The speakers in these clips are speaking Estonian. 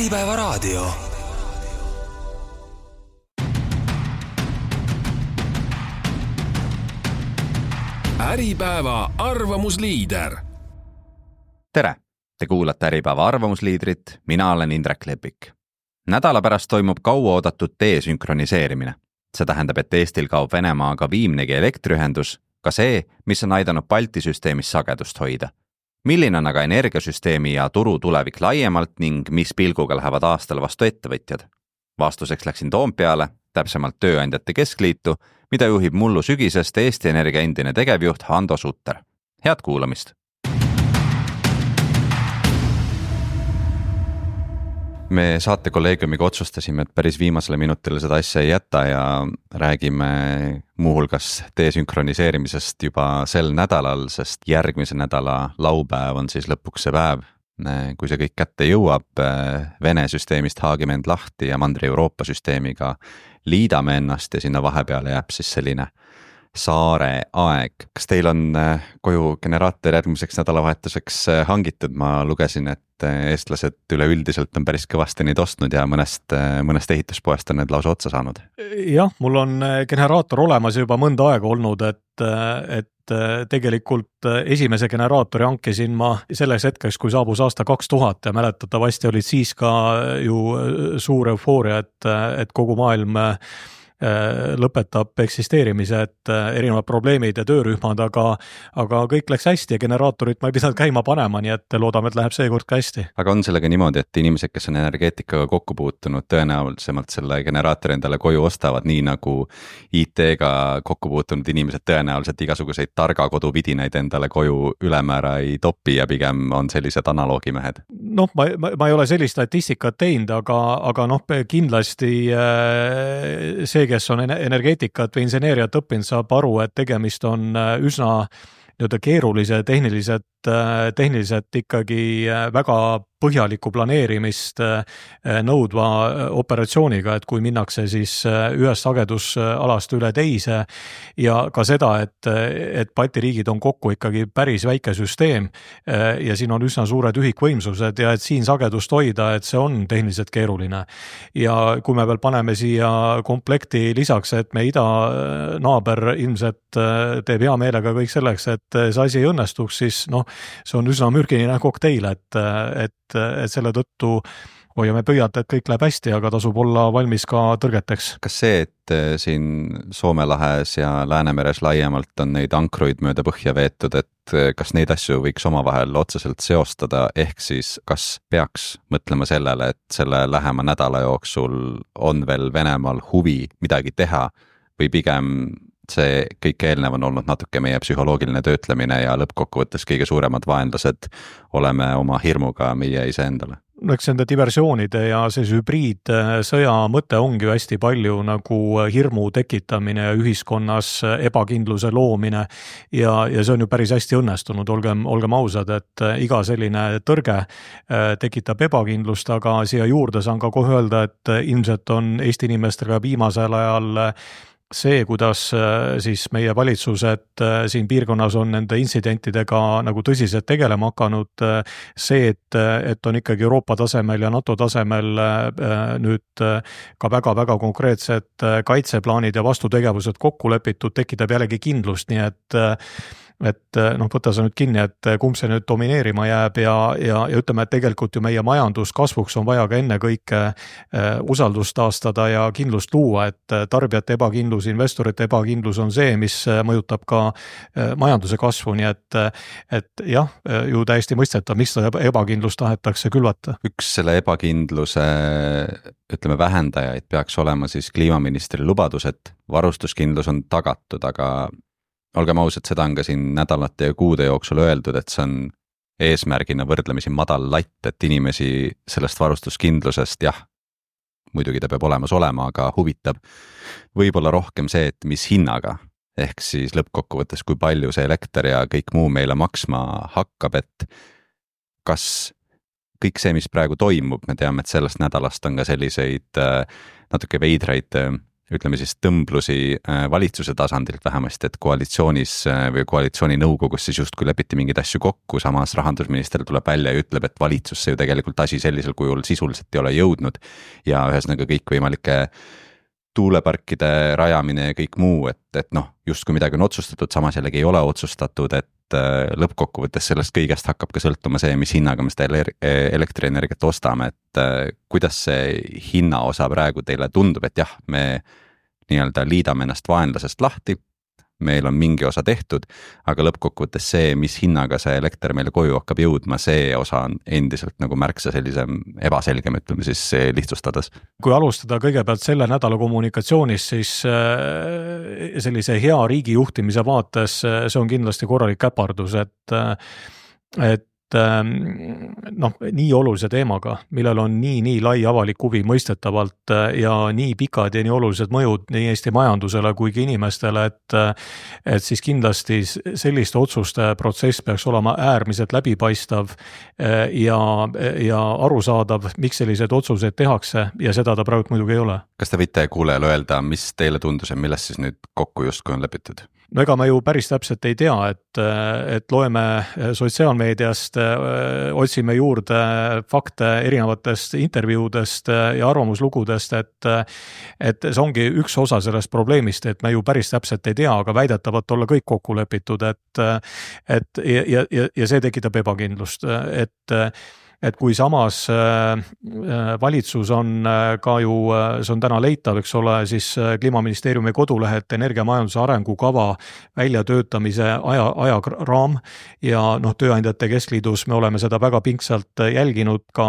Äripäeva raadio. Äripäeva arvamusliider. Tere! Te kuulate Äripäeva arvamusliidrit, mina olen Indrek Lepik. Nädala pärast toimub kauaoodatud desünkroniseerimine. See tähendab, et Eestil kaob Venemaaga viimnegi elektriühendus, ka see, mis on aidanud Balti süsteemis sagedust hoida. Milline on aga energiasüsteemi ja turu tulevik laiemalt ning mis pilguga lähevad aastal vastu ettevõtjad? Vastuseks läksin Toompeale, täpsemalt Tööandjate Keskliitu, mida juhib mullu sügisest Eesti Energia endine tegevjuht Hando Sutter. Head kuulamist! Me saatekolleegiumiga otsustasime, et päris viimasele minutile seda asja ei jäta ja räägime muuhulgas desünkroniseerimisest juba sel nädalal, sest järgmise nädala laupäev on siis lõpuks see päev, kui see kõik kätte jõuab. Vene süsteemist haagime end lahti ja Mandri-Euroopa süsteemiga liidame ennast ja sinna vahepeale jääb siis selline saare aeg. Kas teil on koju generaator järgmiseks nädalavahetuseks hangitud? Ma lugesin, et eestlased üleüldiselt on päris kõvasti neid ostnud ja mõnest ehituspoest on need lausa otsa saanud. Jah, mul on generaator olemas juba mõnda aega olnud, et tegelikult esimese generaatori hankisin ma selleks hetkeks, kui saabus aasta 2000 ja mäletatavasti olid siis ka ju suur eufooria, et kogu maailm lõpetab eksisteerimise, et erinevad probleemid ja töörühmad, aga kõik läks hästi ja generaatorit ma ei pidanud käima panema, nii et loodame, et läheb seekord ka hästi. Aga on sellega niimoodi, et inimesed, kes on energeetikaga kokku puutunud, tõenäolisemalt selle generaatori endale koju ostavad, nii nagu IT-ga kokku puutunud inimesed tõenäoliselt igasuguseid targa koduvidinaid endale koju ülemäära ei topi ja pigem on sellised analoogimehed? Noh, ma ei ole sellist statistikat teinud, aga kindlasti see, kes on energeetikat või inseneeriat õppinud, saab aru, et tegemist on üsna keerulise tehniliselt ikkagi väga põhjaliku planeerimist nõudva operatsiooniga, et kui minnakse siis ühest sagedusalast üle teise ja ka seda, et Balti riigid on kokku ikkagi päris väike süsteem ja siin on üsna suured ühikvõimsused ja et siin sagedust hoida, et see on tehniliselt keeruline. Ja kui me veel paneme siia komplekti lisaks, et me idanaaber ilmselt teeb hea meelega kõik selleks, et see asi ei õnnestuks, siis see on üsna mürgiline kokteil, et selle tõttu hoiame pöialt, et kõik läheb hästi, aga tasub olla valmis ka tõrgeteks. Kas see, et siin Soome lahes ja Läänemeres laiemalt on neid ankruid mööda põhja veetud, et kas neid asju võiks omavahel otseselt seostada, ehk siis kas peaks mõtlema sellele, et selle lähema nädala jooksul on veel Venemaal huvi midagi teha või pigem see kõik eelnev on olnud natuke meie psühholoogiline töötlemine ja lõppkokkuvõttes kõige suuremad vaenlased oleme oma hirmuga meie iseendale? Eks nende diversioonide ja see hübriidsõja mõte ongi ju hästi palju nagu hirmu tekitamine ja ühiskonnas ebakindluse loomine ja see on ju päris hästi õnnestunud, olgem ausad, et iga selline tõrge tekitab ebakindlust, aga siia juurde saan ka kohe öelda, et ilmselt on Eesti inimestega viimasel ajal see, kuidas siis meie valitsused siin piirkonnas on nende intsidentidega nagu tõsiselt tegelema hakanud, see, et on ikkagi Euroopa tasemel ja NATO tasemel nüüd ka väga-väga konkreetsed kaitseplaanid ja vastutegevused kokku lepitud, tekitab jällegi kindlust, nii et võta sa nüüd kinni, et kumb see nüüd domineerima jääb ja ütleme, et tegelikult ju meie majanduskasvuks on vaja ka enne kõike usaldust taastada ja kindlust luua, et tarbijate ebakindlus, investorite ebakindlus on see, mis mõjutab ka majanduse kasvu, nii et jah, ju täiesti mõistetav, miks seda ebakindlust tahetakse külvata. Üks selle ebakindluse, ütleme, vähendajaid peaks olema siis kliimaministri lubadus, et varustuskindlus on tagatud, aga olgem ausad, seda on ka siin nädalate ja kuude jooksul öeldud, et see on eesmärgina võrdlemisi madal latt, et inimesi sellest varustuskindlusest, jah, muidugi ta peab olemas olema, aga huvitab võib-olla rohkem see, et mis hinnaga, ehk siis lõppkokkuvõttes, kui palju see elekter ja kõik muu meile maksma hakkab, et kas kõik see, mis praegu toimub, me teame, et sellest nädalast on ka selliseid natuke veidraid ütleme siis tõmblusi valitsuse tasandilt vähemasti, et koalitsioonis või koalitsiooni nõukogus siis justkui lepiti mingeid asju kokku, samas rahandusminister tuleb välja ja ütleb, et valitsusse ju tegelikult asi sellisel kujul sisuliselt ei ole jõudnud ja ühesõnaga kõikvõimalike tuuleparkide rajamine ja kõik muu, et noh, justkui midagi on otsustatud, samas jällegi ei ole otsustatud, et lõppkokkuvõttes sellest kõigest hakkab ka sõltuma see, mis hinnaga me seda elektrienergiat ostame, et kuidas see hinnaosa praegu teile tundub, et jah, me nii-öelda liidame ennast vaenlasest lahti, meil on mingi osa tehtud, aga lõppkokkuvõttes see, mis hinnaga see elekter meile koju hakkab jõudma, see osa on endiselt nagu märksa sellisem ebaselgem, ütleme siis lihtsustades. Kui alustada kõigepealt selle nädala kommunikatsioonist, siis sellise hea riigi juhtimise vaates see on kindlasti korralik käpardus, et noh, nii olulise teemaga, millel on nii lai avalik huvi mõistetavalt ja nii pikad ja nii olulised mõjud nii Eesti majandusele kui ka inimestele, et siis kindlasti selliste otsuste protsess peaks olema äärmiselt läbipaistav ja arusaadav, miks sellised otsused tehakse ja seda ta praegu muidugi ei ole. Kas te võite kuulejale öelda, mis teile tundus ja millest siis nüüd kokku justkui on lepitud? No ega me ju päris täpselt ei tea, et loeme sotsiaalmeediast, otsime juurde fakte erinevatest intervjuudest ja arvamuslugudest, et see ongi üks osa sellest probleemist, et me ju päris täpselt ei tea, aga väidetavalt olla kõik kokku lepitud, ja see tekitab ebakindlust, et kui samas valitsus on ka ju, see on täna leitav, eks ole, siis Kliimaministeeriumi kodulehelt energiamajanduse arengukava väljatöötamise ajaraam ja noh, Tööandjate Keskliidus me oleme seda väga pingsalt jälginud, ka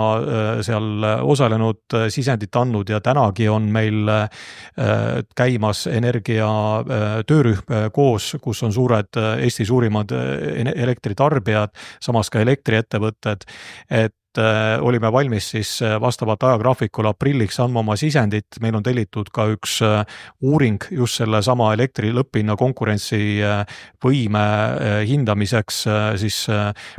seal osalenud, sisendit andnud ja tänagi on meil käimas energia töörühm koos, kus on suured Eesti suurimad elektritarbijad, samas ka elektriettevõtted, et olime valmis siis vastavalt ajagraafikule aprilliks andma oma sisendit, meil on tellitud ka üks uuring just selle sama elektri lõpphinna konkurentsivõime hindamiseks siis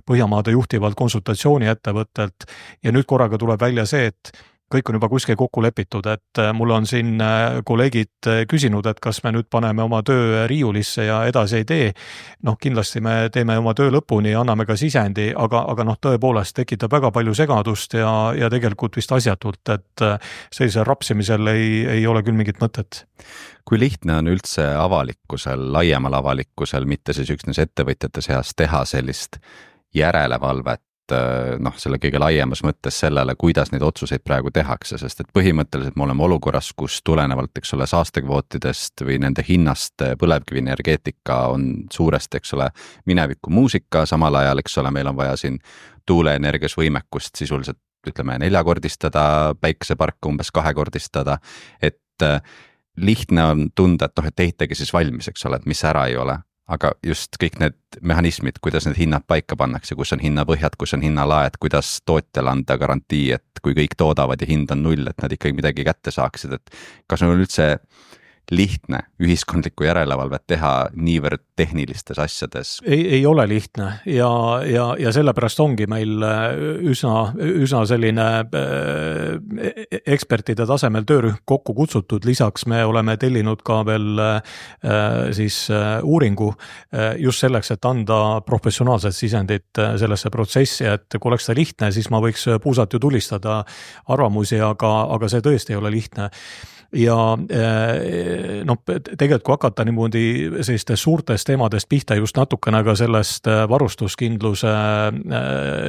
Põhjamaade juhtivalt konsultatsiooniettevõttelt ja nüüd korraga tuleb välja see, et kõik on juba kuskil kokku lepitud, et mul on siin kolleegid küsinud, et kas me nüüd paneme oma töö riiulisse ja edasi ei tee. Noh, kindlasti me teeme oma töö lõpuni ja anname ka sisendi, aga noh, tõepoolest tekitab väga palju segadust ja tegelikult vist asjatult, et sellise rapsimisel ei ole küll mingit mõtet. Kui lihtne on üldse avalikkusel, laiemal avalikkusel, mitte siis üksnes ettevõtjate seas teha sellist järelevalvet, noh, selle kõige laiemas mõttes sellele, kuidas neid otsuseid praegu tehakse, sest et põhimõtteliselt me oleme olukorras, kus tulenevalt, eks ole, saastekvootidest või nende hinnast põlevkivienergeetika on suuresti, eks ole, mineviku muusika, samal ajal, eks ole, meil on vaja siin tuuleenergias võimekust sisuliselt, ütleme, 4-kordistada, päikeseparke umbes 2-kordistada, et lihtne on tunda, et noh, et ehitage siis valmis, eks ole, et mis ära ei ole. Aga just kõik need mehhanismid, kuidas need hinnad paika pannakse, kus on hinnapõhjad, kus on hinnalaed, kuidas tootjale anda garantii, et kui kõik toodavad ja hind on 0, et nad ikkagi midagi kätte saaksid, et kas on üldse lihtne ühiskondlikku järelevalvet teha niivõrd tehnilistes asjades? Ei ole lihtne ja sellepärast ongi meil üsna selline ekspertide tasemel töörühm kokku kutsutud, lisaks me oleme tellinud ka veel siis uuringu just selleks, et anda professionaalset sisendit sellesse protsessi, et kui oleks ta lihtne, siis ma võiks puusalt ju tulistada arvamusi, aga see tõesti ei ole lihtne. Ja noh, tegelikult kui hakata niimoodi selliste suurtest teemadest pihta just natukene ka sellest varustuskindluse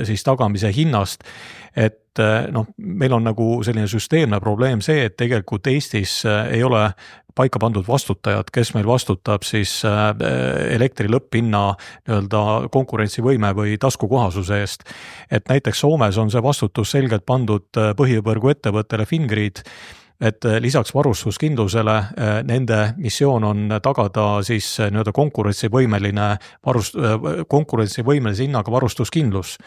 siis tagamise hinnast, et noh, meil on nagu selline süsteemne probleem see, et tegelikult Eestis ei ole paika pandud vastutajad, kes meil vastutab siis elektri lõpphinna nii-öelda konkurentsivõime või taskukohasuse eest. Et näiteks Soomes on see vastutus selgelt pandud põhivõrgu ettevõttele Fingrid, et lisaks varustuskindlusele nende missioon on tagada siis nii-öelda konkurentsivõimelise hinnaga varustuskindlus.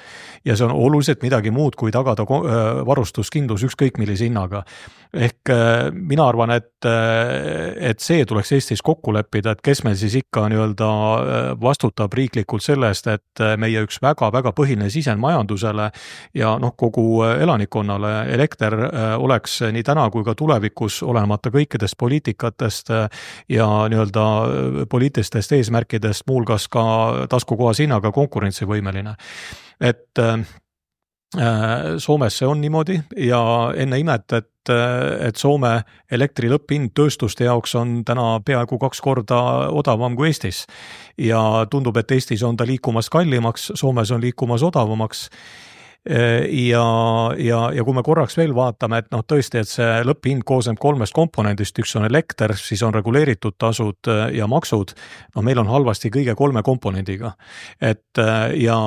Ja see on oluliselt midagi muud, kui tagada varustuskindlus ükskõik millise hinnaga. Ehk mina arvan, et see tuleks Eestis kokku leppida, et kes meil siis ikka nii-öelda vastutab riiklikult sellest, et meie üks väga-väga põhiline sisend majandusele ja noh, kogu elanikkonnale elekter oleks nii täna kui ka tulevikus, olenemata kõikidest poliitikatest ja nii-öelda poliitilistest eesmärkidest, muuhulgas ka taskukohase hinnaga konkurentsivõimeline. Et Soomes see on niimoodi ja enne imet, et Soome elektri lõpphind tööstuste jaoks on täna peaaegu 2 korda odavam kui Eestis. Ja tundub, et Eestis on ta liikumas kallimaks, Soomes on liikumas odavamaks. Ja kui me korraks veel vaatame, et tõesti, et see lõpphind koosneb 3 komponendist, üks on elekter, siis on reguleeritud tasud ja maksud, meil on halvasti kõige 3 komponendiga. Ja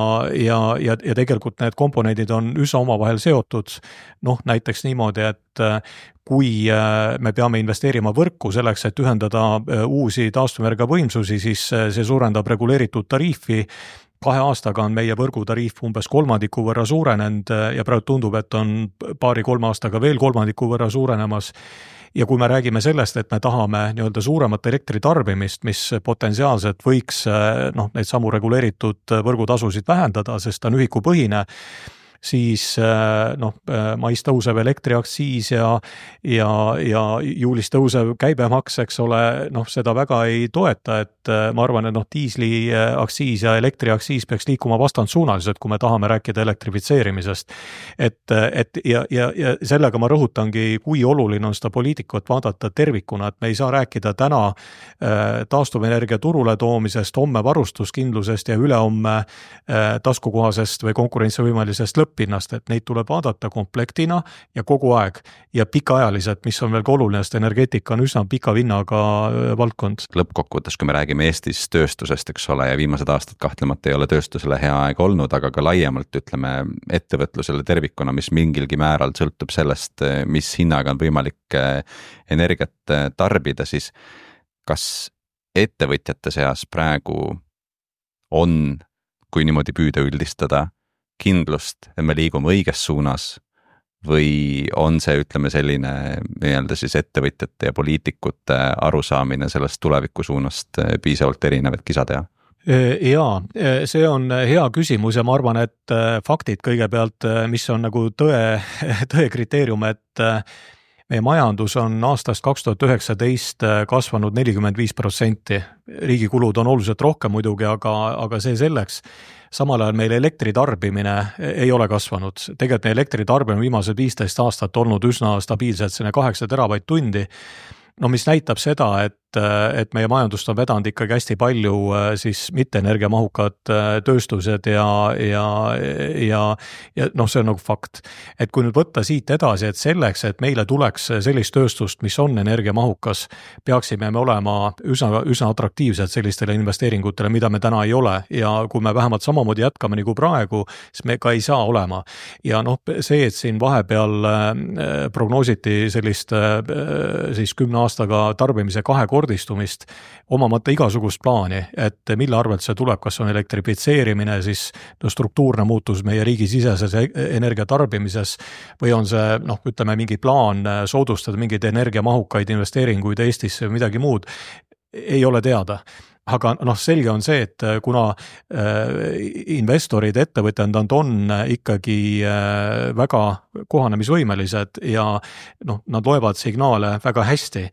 tegelikult need komponendid on üsna omavahel seotud, näiteks niimoodi, et kui me peame investeerima võrku selleks, et ühendada uusi taastuvenergia võimsusi, siis see suurendab reguleeritud tariifi. 2 aastaga on meie võrgutariif umbes 3% võrra suurenenud ja praegu tundub, et on 2-3 aastaga veel 3% võrra suurenemas. Ja kui me räägime sellest, et me tahame nii-öelda suuremat elektritarbimist, mis potentsiaalselt võiks neid samu reguleeritud võrgutasusid vähendada, sest ta on ühikupõhine, siis mais tõuseb elektriaktsiis ja juulis tõusev käibemaks, eks ole, seda väga ei toeta, et ma arvan, et diisliaktsiis ja elektriaktsiis peaks liikuma vastandsuunaliselt, kui me tahame rääkida elektrifitseerimisest. Ja sellega ma rõhutangi, kui oluline on seda poliitikut vaadata tervikuna, et me ei saa rääkida täna taastuvenergia turule toomisest, homme varustuskindlusest ja ülehomme taskukohasest või konkurentsivõimelisest lõppinnast, et neid tuleb vaadata komplektina ja kogu aeg ja pikaajaliselt, mis on veel ka oluline, sest energeetika on üsna pika vinnaga valdkond. Lõppkokkuvõttes, kui me räägime Eestis tööstusest, eks ole, ja viimased aastad kahtlemata ei ole tööstusele hea aeg olnud, aga ka laiemalt ütleme ettevõtlusele tervikuna, mis mingilgi määral sõltub sellest, mis hinnaga on võimalik energiat tarbida, siis kas ettevõtjate seas praegu on, kui niimoodi püüda üldistada, kindlust, et me liigume õiges suunas või on see, ütleme, selline nii-öelda siis ettevõtjate ja poliitikute arusaamine sellest tuleviku suunast piisavalt erinev, et kisa teha? Jaa, see on hea küsimus ja ma arvan, et faktid kõigepealt, mis on nagu tõe kriteerium, et meie majandus on aastast 2019 kasvanud 45%. Riigi kulud on oluliselt rohkem muidugi, aga see selleks. Samal ajal meil elektritarbimine ei ole kasvanud. Tegelikult meie elektritarbimine viimased 15 aastat olnud üsna stabiilselt 8 teravatt-tundi. Mis näitab seda, et meie majandust on vedanud ikkagi hästi palju siis mitte energiamahukad tööstused ja see on nagu fakt. Et kui nüüd võtta siit edasi, et selleks, et meile tuleks sellist tööstust, mis on energiamahukas, peaksime me olema üsna atraktiivsed sellistele investeeringutele, mida me täna ei ole ja kui me vähemalt samamoodi jätkame nagu praegu, siis me ka ei saa olema. Ja see, et siin vahepeal prognoositi sellist siis 10 aastaga tarbimise 2-kordistumist, omamata igasugust plaani, et mille arvelt see tuleb, kas on elektrifitseerimine, siis struktuurne muutus meie riigi siseses energiatarbimises või on see, ütleme, mingi plaan soodustada mingeid energiamahukaid investeeringuid Eestisse või midagi muud, ei ole teada. Aga selge on see, et kuna investorid, ettevõtjad on ikkagi väga kohanemisvõimelised ja nad loevad signaale väga hästi,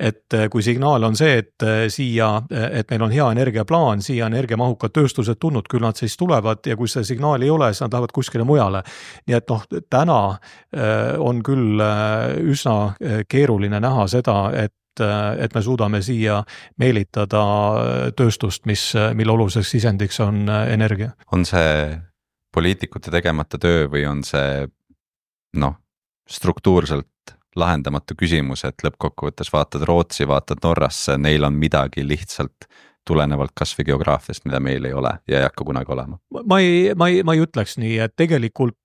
et kui signaal on see, et meil on hea energiaplaan, siia energiamahukad tööstused tulnud, küll nad siis tulevad ja kui see signaal ei ole, siis nad lähevad kuskile mujale. Nii et täna on küll üsna keeruline näha seda, et me suudame siia meelitada tööstust, mille oluliseks sisendiks on energia. On see poliitikute tegemata töö või on see struktuurselt lahendamatu küsimus, et lõppkokkuvõttes vaatad Rootsi, vaatad Norrasse, neil on midagi lihtsalt tulenevalt kasvõi geograafiast, mida meil ei ole ja ei hakka kunagi olema. Ma ei ütleks nii, et tegelikult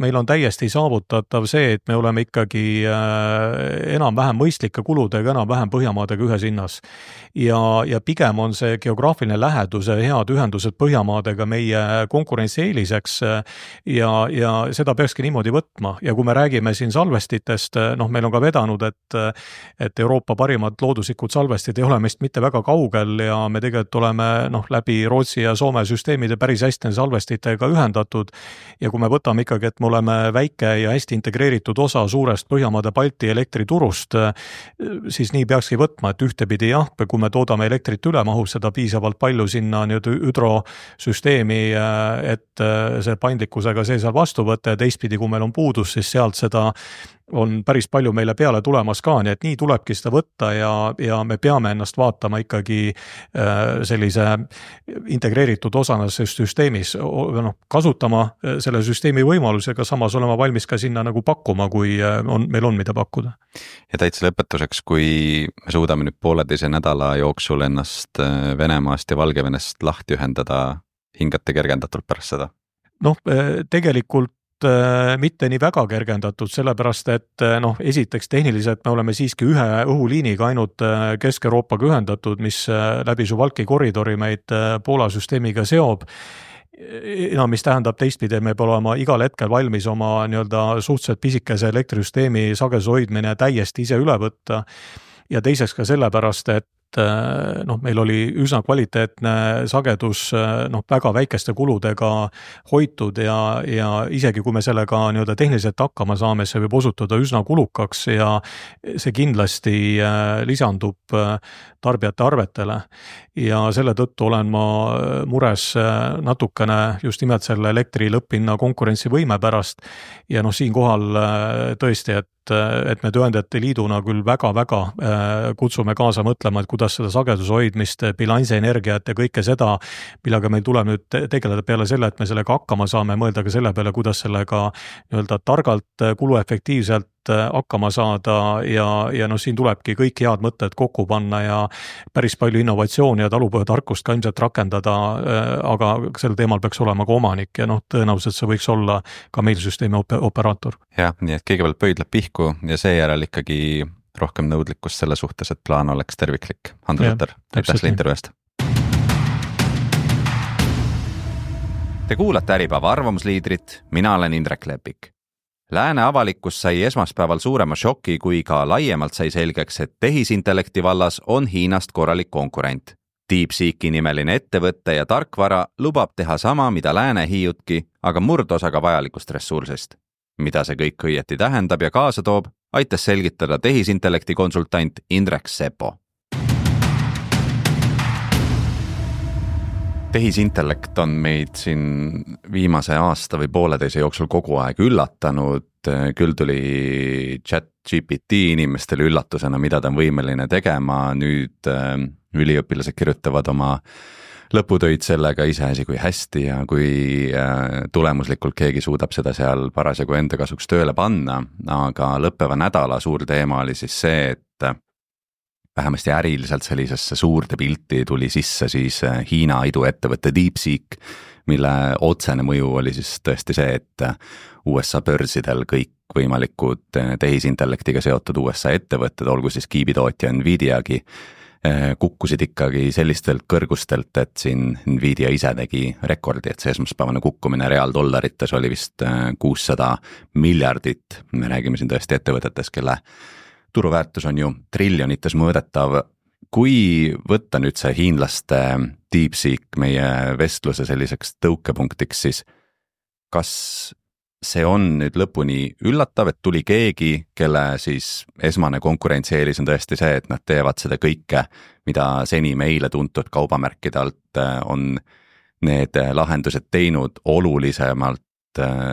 meil on täiesti saavutatav see, et me oleme ikkagi enam-vähem mõistlike kuludega, enam-vähem Põhjamaadega ühes hinnas. Ja pigem on see geograafiline lähedus ja head ühendused Põhjamaadega meie konkurentsieeliseks ja seda peakski niimoodi võtma. Ja kui me räägime siin salvestitest, meil on ka vedanud, et Euroopa parimad looduslikud salvestid ei ole meist mitte väga kaugel ja me tegelikult oleme läbi Rootsi ja Soome süsteemide päris hästi salvestitega ühendatud. Ja kui me võtame ikkagi, et me oleme väike ja hästi integreeritud osa suurest Põhjamaade Balti elektriturust, siis nii peakski võtma, et ühtepidi jah, kui me toodame elektrit üle, mahub seda piisavalt palju sinna hüdrosüsteemi, et see paindlikkusega see seal vastu võtta ja teistpidi, kui meil on puudus, siis sealt seda on päris palju meile peale tulemas ka, nii et nii tulebki seda võtta ja me peame ennast vaatama ikkagi sellise integreeritud osana süsteemis, kasutama selle süsteemi võimalusega, samas olema valmis ka sinna nagu pakkuma, kui meil on mida pakkuda. Ja täitsa lõpetuseks, kui me suudame nüüd 1,5 nädala jooksul ennast Venemaast ja Valgevenest lahti ühendada, hingate kergendatult pärast seda? Tegelikult mitte nii väga kergendatud, sellepärast et esiteks tehniliselt me oleme siiski ühe õhuliiniga ainult Kesk-Euroopaga ühendatud, mis läbi Suwałki koridori meid Poola süsteemiga seob. Mis tähendab teistpidi, me peame olema igal hetkel valmis oma suhteliselt pisikese elektrisüsteemi sageduse hoidmine täiesti ise üle võtta ja teiseks ka sellepärast, et meil oli üsna kvaliteetne sagedus väga väikeste kuludega hoitud ja isegi kui me sellega tehniliselt hakkama saame, see võib osutuda üsna kulukaks ja see kindlasti lisandub tarbijate arvetele ja selle tõttu olen ma mures natukene just nimelt selle elektri lõpphinna konkurentsivõime pärast ja siinkohal tõesti, et me Tööandjate Liiduna küll väga-väga kutsume kaasa mõtlema, et kuidas seda sageduse hoidmist, bilansienergiat ja kõike seda, millega meil tuleb nüüd tegeleda peale selle, et me sellega hakkama saame, mõelda ka selle peale, kuidas sellega targalt, kuluefektiivselt hakkama saada ja siin tulebki kõik head mõtted kokku panna ja päris palju innovatsiooni ja talupõhjatarkust ka ilmselt rakendada, aga sel teemal peaks olema ka omanik ja tõenäoliselt see võiks olla ka meil süsteemi operaator. Jah, nii et kõigepealt pöidlab pihku ja seejärel ikkagi rohkem nõudlikkust selle suhtes, et plaan oleks terviklik. Andrus Lutter, aitäh selle intervjuust. Te kuulate Äripäeva arvamusliidrit, mina olen Indrek Lepik. Lääne avalikkus sai esmaspäeval suurema šoki, kui ka laiemalt sai selgeks, et tehisintellekti vallas on Hiinast korralik konkurent. DeepSeeki nimeline ettevõtte ja tarkvara lubab teha sama, mida lääne hiiutki, aga murdosaga vajalikust ressursist. Mida see kõik õieti tähendab ja kaasa toob, aitas selgitada tehisintellekti konsultant Indrek Sepo. Tehisintellekt on meid siin viimase aasta või 1,5 jooksul kogu aeg üllatanud, küll tuli ChatGPT inimestele üllatusena, mida ta on võimeline tegema, nüüd üliõpilased kirjutavad oma lõputöid sellega iseasi kui hästi ja kui tulemuslikult keegi suudab seda seal parasjagu enda kasuks tööle panna, aga lõppeva nädala suur teema oli siis see, et vähemasti äriliselt sellisesse suurde pilti tuli sisse siis Hiina iduettevõtte DeepSeek, mille otsene mõju oli siis tõesti see, et USA börsidel kõik võimalikud tehisintellektiga seotud USA ettevõtted, olgu siis kiibitootja Nvidiagi, kukkusid ikkagi sellistelt kõrgustelt, et siin Nvidia ise tegi rekordi, et see esmaspäevane kukkumine reaaldollarites oli vist 600 miljardit, me räägime siin tõesti ettevõtetes, kelle turuväärtus on ju triljonites mõõdetav. Kui võtta nüüd see hiinlaste DeepSeek meie vestluse selliseks tõukepunktiks, siis kas see on nüüd lõpuni üllatav, et tuli keegi, kelle siis esmane konkurentsieelis on tõesti see, et nad teevad seda kõike, mida seni meile tuntud kaubamärkide alt on need lahendused teinud olulisemalt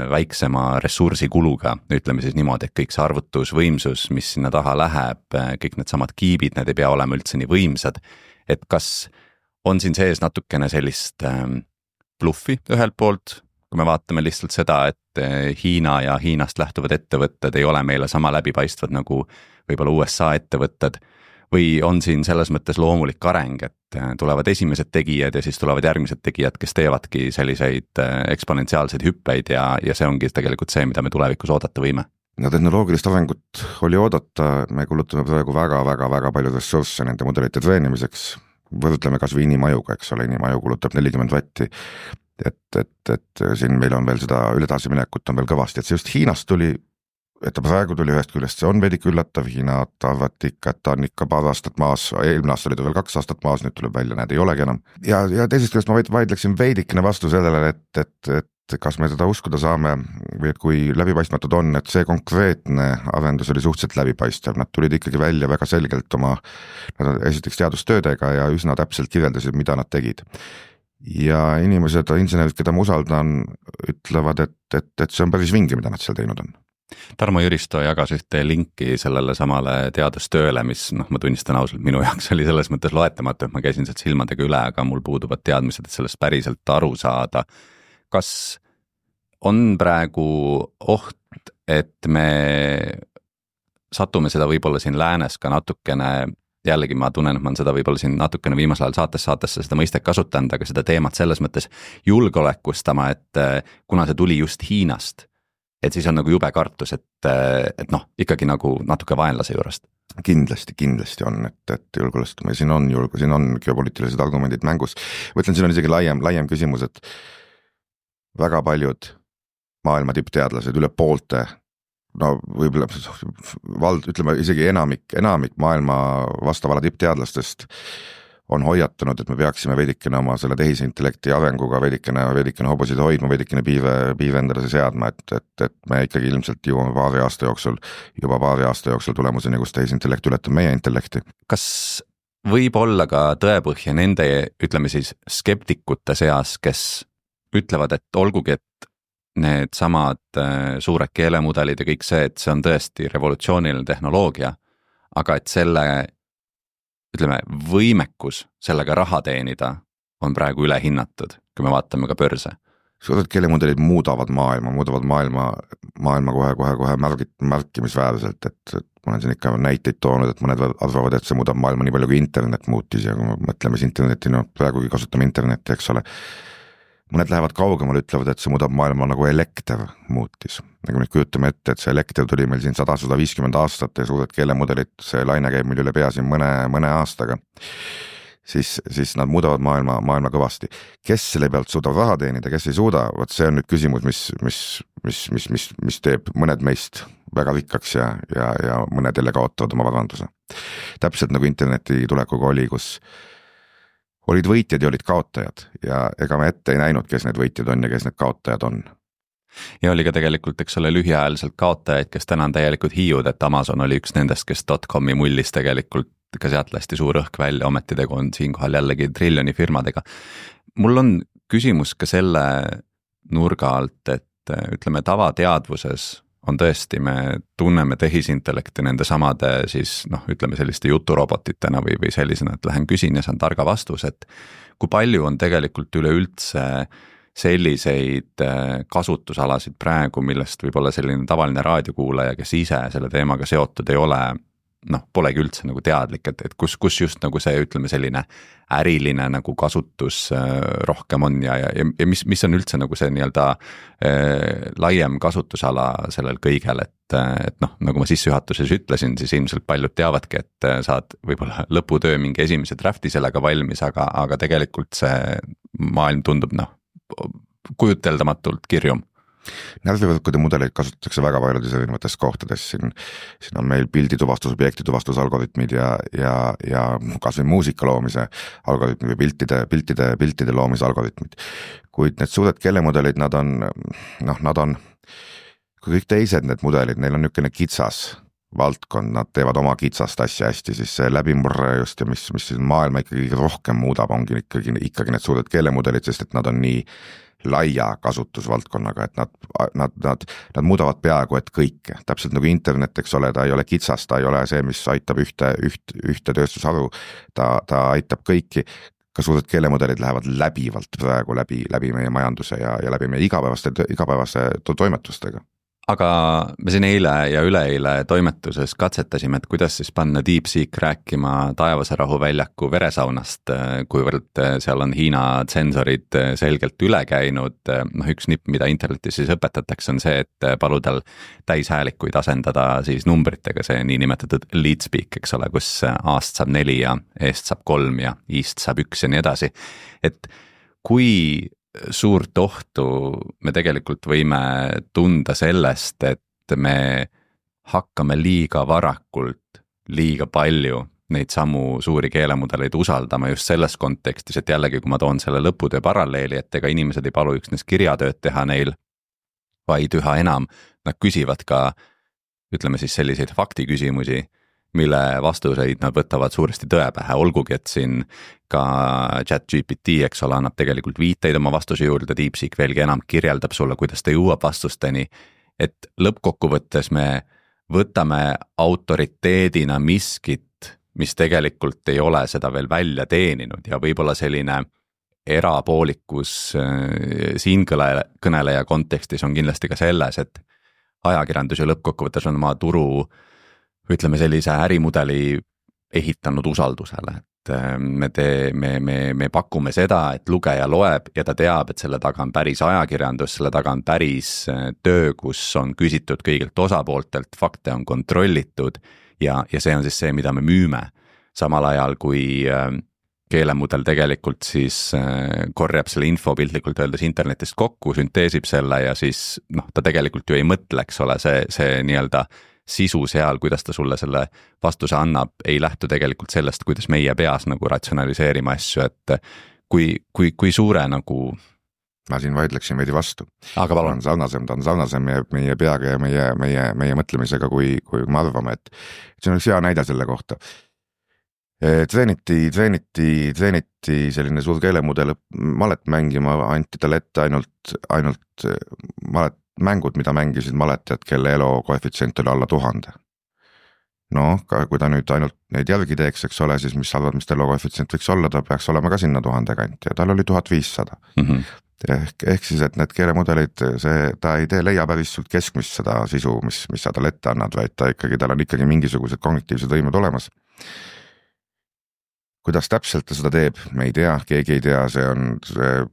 väiksema ressursikuluga, ütleme siis niimoodi, et kõik see arvutusvõimsus, mis sinna taha läheb, kõik need samad kiibid, need ei pea olema üldse nii võimsad, et kas on siin sees natukene sellist bluffi ühelt poolt, kui me vaatame lihtsalt seda, et Hiina ja Hiinast lähtuvad ettevõtted ei ole meile sama läbipaistvad nagu võib-olla USA ettevõtted, või on siin selles mõttes loomulik areng, et tulevad esimesed tegijad ja siis tulevad järgmised tegijad, kes teevadki selliseid eksponentsiaalseid hüppeid ja see ongi tegelikult see, mida me tulevikus oodata võime? No tehnoloogilist arengut oli oodata, me kulutame praegu väga palju ressursse nende mudelite treenimiseks, võrdleme kas või inimajuga, eks ole, inimaju kulutab 40 vatti, et siin meil on veel seda ületasiminekut on veel kõvasti, et see just Hiinast tuli et ta praegu tuli ühest küljest, see on vedik üllatav, Hiina arvati ikka, et ta on ikka paar aastat maas, eelmine aasta oli ta veel 2 aastat maas, nüüd tuleb välja, näed, ei olegi enam. Ja teisest küljest ma vaidleksin veidikene vastu sellele, et kas me seda uskuda saame või et kui läbipaistmatud on, et see konkreetne arendus oli suhteliselt läbipaistev, nad tulid ikkagi välja väga selgelt oma esiteks teadustöödega ja üsna täpselt kirjeldasid, mida nad tegid. Ja inimesed, insenerid, keda ma usaldan, ütlevad, et see on päris vinge, mida nad seal teinud on. Tarmo Jüristo jagas ühte linki sellele samale teadustööle, mis ma tunnistan ausalt, minu jaoks oli selles mõttes loetamatu, et ma käisin sealt silmadega üle, aga mul puuduvad teadmised, et sellest päriselt aru saada. Kas on praegu oht, et me satume seda võib-olla siin läänes ka natukene, jällegi ma tunnen, et ma olen seda võib-olla siin natukene viimasel ajal saatesse seda mõistet kasutanud, aga seda teemat selles mõttes julgeolekustama, et kuna see tuli just Hiinast, et siis on nagu jube kartus, et ikkagi nagu natuke vaenlase juurest. Kindlasti on, et julgeolekustama, siin on geopoliitilised argumendid mängus. Võtlen, siin on isegi laiem küsimus, et väga paljud maailma tippteadlased, üle poolte, võib-olla ütleme isegi enamik maailma vastavala tippteadlastest on hoiatanud, et me peaksime veidikene oma selle tehisintellekti arenguga veidikene hobusid hoidma, veidikene piive endale seadma, et me ikkagi ilmselt jõuame paari aasta jooksul tulemuseni, kus tehisintellekt ületab meie intellekti. Kas võib olla ka tõepõhja nende, ütleme siis, skeptikute seas, kes ütlevad, et olgugi, et need samad suured keelemudelid ja kõik see, et see on tõesti revolutsiooniline tehnoloogia, aga et selle võimekus sellega raha teenida on praegu ülehinnatud, kui me vaatame ka börse. Suured keelemudelid muudavad maailma kohe märkimisväärselt, et ma olen siin ikka näiteid toonud, et mõned arvavad, et see muudab maailma nii palju kui internet muutis ja kui me mõtleme siis interneti, praegugi kasutame internetti, eks ole. Mõned lähevad kaugemal, ütlevad, et see muudab maailma nagu elekter muutis. Nagu nüüd kujutame ette, et see elekter tuli meil siin 100-150 aastat ja suured keelemudelid, see laine käib meil üle pea siin mõne aastaga, siis nad muudavad maailma kõvasti. Kes selle pealt suudab raha teenida, kes ei suuda, võt see on nüüd küsimus, mis teeb mõned meist väga rikkaks ja mõned jälle kaotavad oma varanduse. Täpselt nagu interneti tulekuga oli, kus olid võitjad ja olid kaotajad ja ega me ette ei näinud, kes need võitjad on ja kes need kaotajad on. Ja oli ka tegelikult, eks ole, lühiajaliselt kaotajaid, kes täna on täielikult hiiud, et Amazon oli üks nendest, kes .comi mullis tegelikult ka sealt lasti suur õhk välja, ometi tegu on siinkohal jällegi triljoni firmadega. Mul on küsimus ka selle nurga alt, et ütleme tavateadvuses on tõesti, me tunneme tehisintellekti nende samade siis ütleme selliste juturobotitena või sellisena, et lähen küsin ja saan targa vastus, et kui palju on tegelikult üleüldse selliseid kasutusalasid praegu, millest võib-olla selline tavaline raadiokuulaja, kes ise selle teemaga seotud ei ole, polegi üldse nagu teadlik, et kus just nagu see, ütleme selline äriline nagu kasutus rohkem on ja mis on üldse nagu see nii-öelda laiem kasutusala sellel kõigel, et nagu ma sissejuhatuses ütlesin, siis ilmselt paljud teavadki, et saad võib-olla lõputöö mingi esimese drafti sellega valmis, aga tegelikult see maailm tundub kujuteldamatult kirjum. Närvivõrkude mudeleid kasutatakse väga paljudes erinevates kohtades, siin on meil pildituvastus, objektituvastusalgoritmid ja kas või muusika loomise algoritmid või piltide loomise algoritmid. Kuid need suured keelemudelid, nad on, kui kõik teised need mudelid, neil on niisugune kitsas valdkond, nad teevad oma kitsast asja hästi, siis see läbimurre just ja mis maailma ikkagi rohkem muudab, ongi ikkagi need suured keelemudelid, sest et nad on nii laia kasutusvaldkonnaga, et nad muudavad peaaegu et kõike. Täpselt nagu internet, eks ole, ta ei ole kitsas, ta ei ole see, mis aitab ühte tööstusharu, ta aitab kõiki. Ka suured keelemudelid lähevad läbivalt praegu läbi meie majanduse ja läbi meie igapäevaste toimetustega. Aga me siin eile ja üleeile toimetuses katsetasime, et kuidas siis panna DeepSeek rääkima Taevase rahuväljaku veresaunast, kuivõrd seal on Hiina tsensorid selgelt üle käinud. Üks nipp, mida internetis siis õpetatakse, on see, et paludel täishäälikuid asendada siis numbritega, see niinimetatud lead speak, eks ole, kus A-st saab 4 ja E-st saab 3 ja I-st saab 1 ja nii edasi. Et kui suurt ohtu me tegelikult võime tunda sellest, et me hakkame liiga varakult, liiga palju neid samu suuri keelemudeleid usaldama just selles kontekstis, et jällegi, kui ma toon selle lõputöö paralleeli, et ega inimesed ei palu üksnes kirjatööd teha neil, vaid üha enam nad küsivad ka, ütleme siis selliseid faktiküsimusi, mille vastuseid nad võtavad suuresti tõe pähe, olgugi, et siin ka ChatGPT, eks ole, annab tegelikult viiteid oma vastuse juurde, DeepSeek veelgi enam kirjeldab sulle, kuidas ta jõuab vastusteni, et lõppkokkuvõttes me võtame autoriteedina miskit, mis tegelikult ei ole seda veel välja teeninud ja võib-olla selline erapoolikus siin kõneleja kontekstis on kindlasti ka selles, et ajakirjandus ja lõppkokkuvõttes on oma turu, ütleme sellise ärimudeli ehitanud usaldusele, et me pakume seda, et lugeja loeb ja ta teab, et selle taga on päris ajakirjandus, selle taga on päris töö, kus on küsitud kõigilt osapooltelt, fakte on kontrollitud ja see on siis see, mida me müüme. Samal ajal, kui keelemudel tegelikult siis korjab selle info piltlikult öeldes internetist kokku, sünteesib selle ja siis ta tegelikult ju ei mõtle, eks ole, see nii-öelda sisu seal, kuidas ta sulle selle vastuse annab, ei lähtu tegelikult sellest, kuidas meie peas nagu ratsionaliseerima asju, et kui suure nagu ma siin vaidleksin veidi vastu. Aga palun. Ta on sarnasem meie peaga ja meie mõtlemisega, kui me arvame, et see on üks hea näide selle kohta. Treeniti selline suur keelemudel malet mängima, anti talle ette ainult mängud, mida mängisid maletajad, kelle elo koefitsient oli alla 1000. Kui ta nüüd ainult neid järgi teeks, eks ole, siis mis arvad, mis ta elo koefitsient võiks olla, ta peaks olema ka sinna 1000 kanti ja tal oli 1500. Ehk siis, et need keelemudelid, ta ei leia päris sult keskmist seda sisu, mis sa talle ette annad, vaid tal on ikkagi mingisugused kognitiivsed võimed olemas. Kuidas täpselt ta seda teeb, me ei tea, keegi ei tea,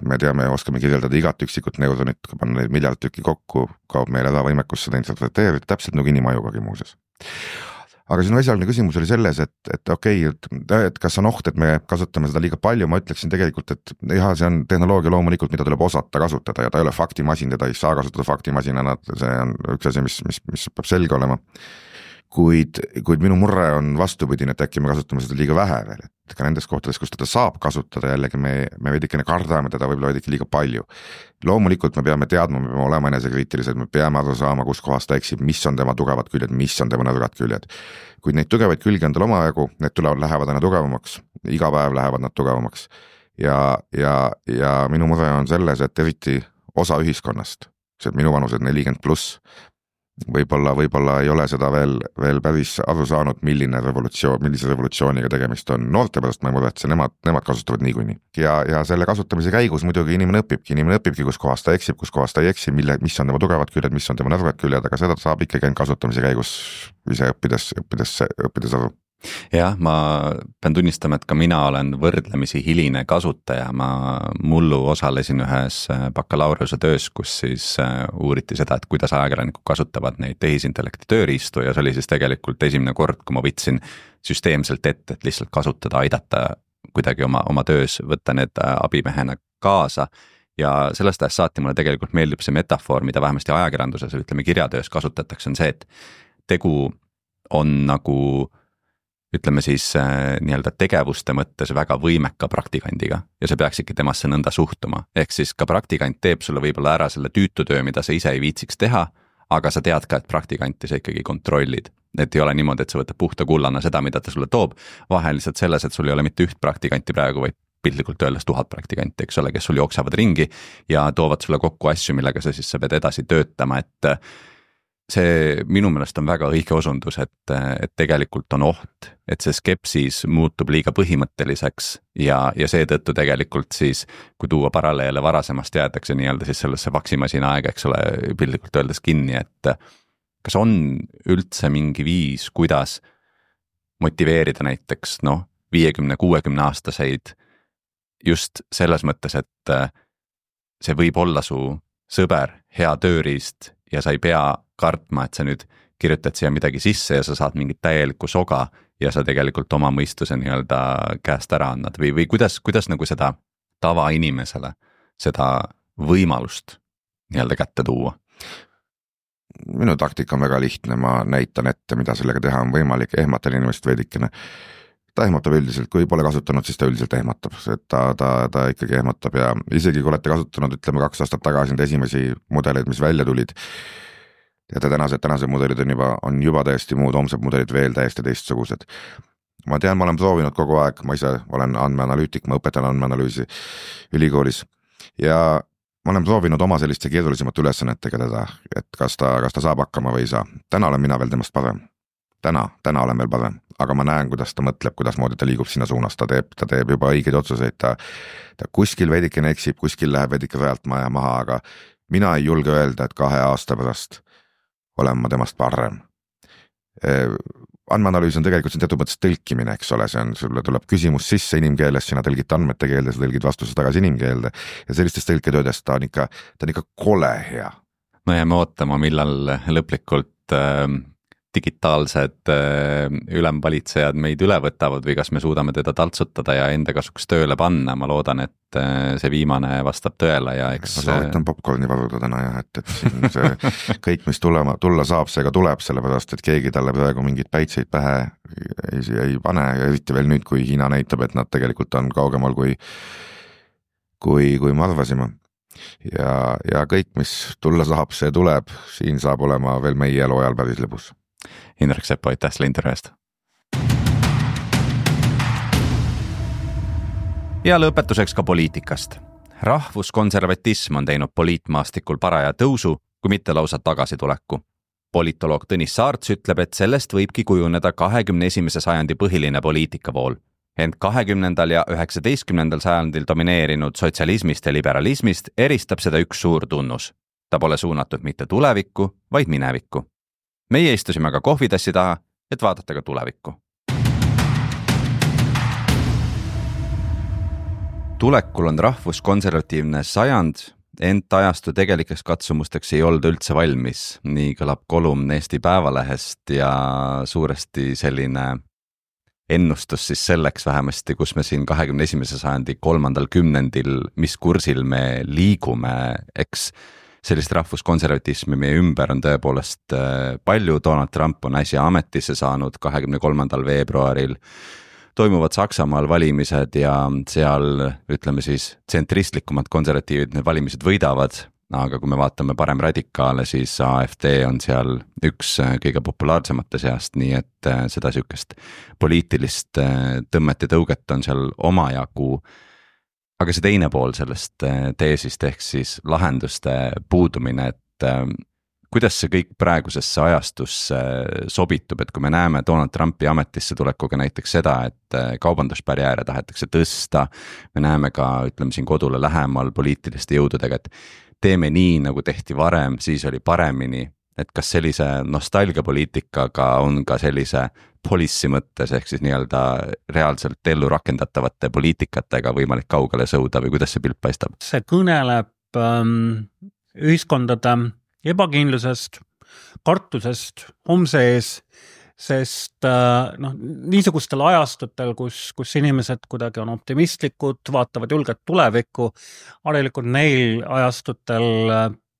me teame, oskame kirjeldada igat üksikut neuronit, kui panna neid miljard tükki kokku, kaob meil ära võimekus seda interpreteerida, täpselt nagu inimajugagi muuses. Aga sinu esialgne küsimus oli selles, et okei, et kas on oht, et me kasutame seda liiga palju, ma ütleksin tegelikult, et see on tehnoloogia loomulikult, mida tuleb osata kasutada ja ta ei ole faktimasin, teda ei saa kasutada faktimasinana, see on üks asi, mis peab selge olema. Kuid minu murre on vastupidine, et äkki me kasutame seda liiga vähe veel, et ka nendes kohtades, kus teda saab kasutada, jällegi me veidikene kardame teda võib-olla veidike liiga palju. Loomulikult me peame teadma, me peame olema enesekriitilised, me peame aru saama, kus kohas ta eksib, mis on tema tugevad küljed, mis on tema nõrgad küljed. Kuid neid tugevaid külgi on tal omajagu, need lähevad aina tugevamaks, iga päev lähevad nad tugevamaks ja minu mure on selles, et eriti osa ühiskonnast, see minu vanused 40+, võib-olla ei ole seda veel päris aru saanud, millise revolutsiooniga tegemist on. Noorte pärast ma ei muretse, nemad kasutavad niikuinii. Ja selle kasutamise käigus muidugi inimene õpibki, kus kohas ta eksib, kus kohas ta ei eksi, mis on tema tugevad küljed, mis on tema nõrgad küljed, aga seda saab ikkagi kasutamise käigus ise õppides aru. Jah, ma pean tunnistama, et ka mina olen võrdlemisi hiline kasutaja, ma mullu osalesin ühes bakalaureuse töös, kus siis uuriti seda, et kuidas ajakirjanikud kasutavad neid tehisintellekti tööriistu ja see oli siis tegelikult esimene kord, kui ma võtsin süsteemselt ette, et lihtsalt kasutada, aidata kuidagi oma töös, võtta need abimehena kaasa ja sellest ajast saati mulle tegelikult meeldib see metafoor, mida vähemasti ajakirjanduses, ütleme kirjatöös kasutatakse, on see, et tegu on nagu ütleme siis nii-öelda tegevuste mõttes väga võimeka praktikandiga ja see peaks ikka temasse nõnda suhtuma. Ehk siis ka praktikant teeb sulle võib-olla ära selle tüütutöö, mida sa ise ei viitsiks teha, aga sa tead ka, et praktikanti sa ikkagi kontrollid. Et ei ole niimoodi, et sa võtad puhta kullana seda, mida ta sulle toob. Vahe lihtsalt selles, et sul ei ole mitte üht praktikanti praegu, vaid piltlikult öeldes 1000 praktikanti, eks ole, kes sul jooksavad ringi ja toovad sulle kokku asju, millega sa pead edasi töötama, et see minu meelest on väga õige osundus, et tegelikult on oht, et see skepsis muutub liiga põhimõtteliseks ja seetõttu tegelikult siis, kui tuua paralleele varasemast jäädakse nii-öelda siis sellesse faksimasina aega, eks ole, piltlikult öeldes kinni, et kas on üldse mingi viis, kuidas motiveerida näiteks 50-60 aastaseid just selles mõttes, et see võib olla su sõber, hea tööriist ja sa ei pea kartma, et sa nüüd kirjutad siia midagi sisse ja sa saad mingit täielikku soga ja sa tegelikult oma mõistuse nii-öelda käest ära annad või kuidas nagu seda tavainimesele seda võimalust nii-öelda kätte tuua? minu taktika on väga lihtne, ma näitan ette, mida sellega teha on võimalik, ehmatan inimest veidikene. Ta ehmatab üldiselt, kui pole kasutanud, siis ta üldiselt ehmatab, ta ikkagi ehmatab ja isegi kui olete kasutanud, ütleme 2 aastat tagasi need esimesi mudeleid, mis välja tulid, ja tänased mudelid on juba täiesti muud, homsed mudelid veel täiesti teistsugused. Ma tean, ma olen proovinud kogu aeg, ma ise olen andmeanalüütik, ma õpetan andmeanalüüsi ülikoolis ja ma olen proovinud oma selliste keerulisemate ülesannetega teda, et kas ta saab hakkama või ei saa. Täna olen mina veel temast parem. Täna olen veel parem, aga ma näen, kuidas ta mõtleb, kuidas moodi ta liigub sinna suunas, ta teeb juba õigeid otsuseid, ta kuskil veidikene eksib, kuskil läheb veidike rajalt maha, aga mina ei julge öelda, et 2 aasta pärast olen ma temast parem. Andmeanalüüs on tegelikult see teatud mõttes tõlkimine, eks ole, sulle tuleb küsimus sisse inimkeeles, sina tõlgid andmete keelde, sa tõlgid vastuse tagasi inimkeelde ja sellistes tõlketöödes ta on ikka kole hea. No jääme ootama, millal lõplikult digitaalsed ülemvalitsejad meid üle võtavad või kas me suudame teda taltsutada ja enda kasuks tööle panna, ma loodan, et see viimane vastab tõele ja eks... Ma soovitan popcorni varuda täna ja et siin see kõik, mis tulla saab, see ka tuleb, sellepärast, et keegi talle praegu mingid päitseid pähe ei pane ja eriti veel nüüd, kui Hiina näitab, et nad tegelikult on kaugemal kui me arvasime. Ja kõik, mis tulla saab, see tuleb, siin saab olema veel meie elu ajal päris lõbus. Indrek Sepo, aitäh selle intervjuu eest. Ja lõpetuseks ka poliitikast. Rahvuskonservatism on teinud poliitmaastikul paraja tõusu, kui mitte lausa tagasituleku. Politoloog Tõnis Saarts ütleb, et sellest võibki kujuneda 21. sajandi põhiline poliitikavool. Ent 20. ja 19. sajandil domineerinud sotsialismist ja liberalismist eristab seda üks suur tunnus. Ta pole suunatud mitte tulevikku, vaid minevikku. Meie istusime ka kohvitassi taha, et vaadata ka tulevikku. Tulekul on rahvuskonservatiivne sajand, ent ajastu tegelikeks katsumusteks ei olnud üldse valmis. Nii kõlab kolumn Eesti Päevalehest ja suuresti selline ennustus siis selleks vähemasti, kus me siin 21. sajandi 3. kümnendil, mis kursil me liigume, eks sellist rahvuskonservatismi meie ümber on tõepoolest palju. Donald Trump on äsja ametisse saanud 23. veebruaril. Toimuvad Saksamaal valimised ja seal, ütleme siis, tsentristlikumad konservatiivid need valimised võidavad, aga kui me vaatame parem radikaale, siis AfD on seal üks kõige populaarsemate seast, nii et seda sükest poliitilist tõmmet ja tõuget on seal omajagu. Aga see teine pool sellest teesist ehk siis lahenduste puudumine, et kuidas see kõik praegusesse ajastusse sobitub, et kui me näeme Donald Trumpi ametisse tulekuga näiteks seda, et kaubandusbarjääre tahetakse tõsta, me näeme ka, ütleme siin kodule lähemal poliitiliste jõududega, et teeme nii, nagu tehti varem, siis oli paremini, et kas sellise nostalgiapoliitikaga on ka sellise policy mõttes ehk siis nii-öelda reaalselt ellu rakendatavate poliitikatega võimalik kaugele sõuda või kuidas see pilt paistab? See kõneleb ühiskondade ebakindlusest, kartusest homse ees, sest niisugustel ajastutel, kus inimesed kuidagi on optimistlikud, vaatavad julget tulevikku, harilikult neil ajastutel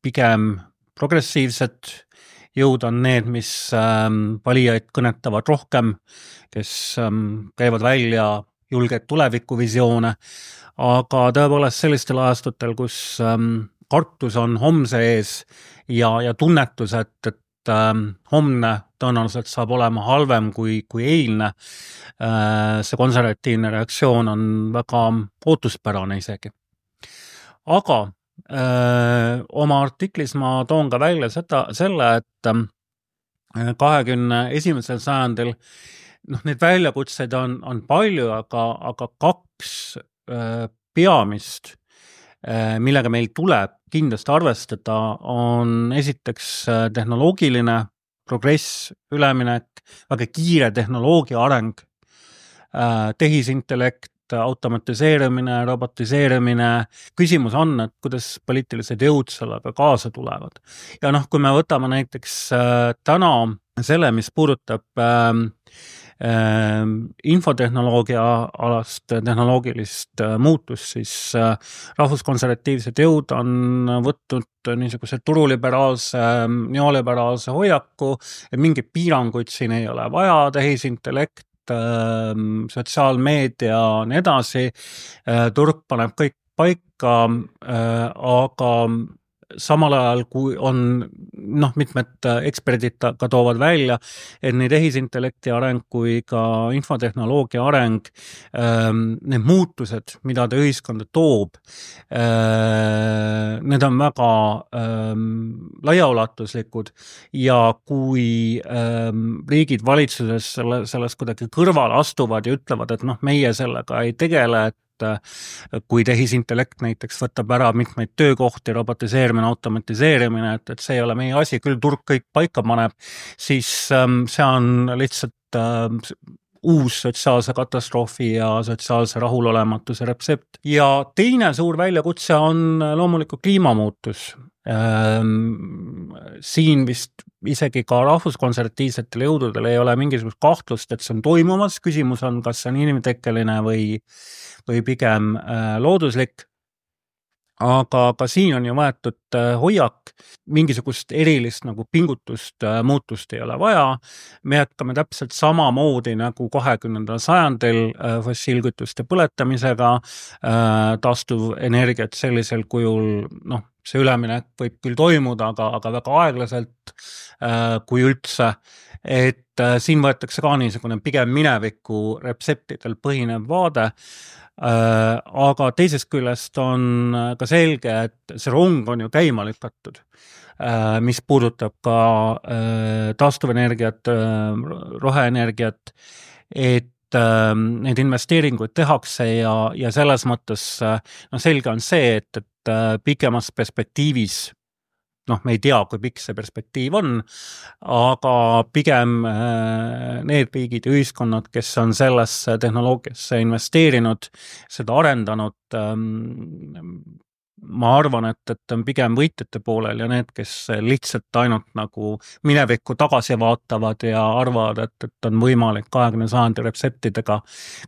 pigem progressiivsed jõud on need, mis valijaid kõnetavad rohkem, kes käivad välja julgeid tulevikuvisioone, aga tõepoolest sellistel ajastutel, kus kartus on homse ees ja tunnetus, et homne tõenäoliselt saab olema halvem kui eilne, see konservatiivne reaktsioon on väga ootuspärane isegi. Aga oma artiklis ma toon ka välja selle, et 21. sajandil neid väljakutseid on palju, aga 2 peamist, millega meil tuleb kindlasti arvestada, on esiteks tehnoloogiline progress, üleminek, väga kiire tehnoloogia areng, tehisintellekt, automatiseerimine, robotiseerimine. Küsimus on, et kuidas poliitilised jõud sellega kaasa tulevad. Ja kui me võtame näiteks täna selle, mis puudutab infotehnoloogia alast tehnoloogilist muutust, siis rahvuskonservatiivsed jõud on võtnud niisuguse turuliberaalse, neoliberaalse hoiaku, et mingeid piiranguid siin ei ole vaja, tehisintellekt, sotsiaalmeedia nii edasi, turg paneb kõik paika, aga samal ajal, kui on mitmed eksperdid ka toovad välja, et nii tehisintellekti areng kui ka infotehnoloogia areng, need muutused, mida ta ühiskonda toob, need on väga laiaulatuslikud ja kui riigid valitsuses sellest kuidagi kõrvale astuvad ja ütlevad, et meie sellega ei tegele, et kui tehisintellekt näiteks võtab ära mitmeid töökohti, robotiseerimine, automatiseerimine, et see ei ole meie asi, küll turg kõik paika paneb, siis see on lihtsalt uus sotsiaalse katastroofi ja sotsiaalse rahulolematuse retsept. Ja teine suur väljakutse on loomulikult kliimamuutus. Siin vist isegi ka rahvuskonservatiivsetel jõududel ei ole mingisugust kahtlust, et see on toimumas. Küsimus on, kas see on inimtekkeline või pigem looduslik. Aga ka siin on ju võetud hoiak, mingisugust erilist pingutust, muutust ei ole vaja. Me jätkame täpselt samamoodi nagu 20. sajandil fossiilkütuste põletamisega, taastuvenergiat sellisel kujul, see üleminek võib küll toimuda, aga väga aeglaselt, kui üldse, et siin võetakse ka niisugune pigem mineviku retseptidel põhinev vaade. Aga teisest küljest on ka selge, et see rong on ju käima lükatud, mis puudutab ka taastuvenergiat, roheenergiat, et neid investeeringuid tehakse ja selles mõttes selge on see, et pikemas perspektiivis me ei tea, kui pikk see perspektiiv on, aga pigem need riigid ja ühiskonnad, kes on sellesse tehnoloogiasse investeerinud, seda arendanud, ma arvan, et on pigem võitjate poolel ja need, kes lihtsalt ainult minevikku tagasi vaatavad ja arvavad, et on võimalik 20. sajandi retseptidega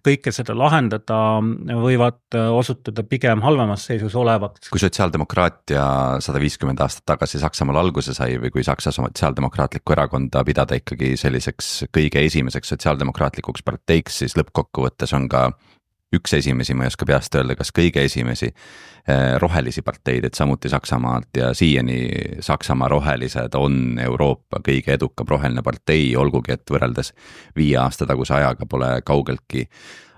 kõike seda lahendada, võivad osutuda pigem halvemas seisus olevat. Kui sotsiaaldemokraatia 150 aastat tagasi Saksamaal alguse sai või kui Saksa sotsiaaldemokraatlikku erakonda pidada ikkagi selliseks kõige esimeseks sotsiaaldemokraatlikuks parteiks, siis lõppkokkuvõttes on ka üks esimesi, ma ei oska peast öelda, kas kõige esimesi rohelisi parteid, et samuti Saksamaalt ja siiani Saksamaa rohelised on Euroopa kõige edukam roheline partei, olgugi et võrreldes 5 aasta taguse ajaga pole kaugeltki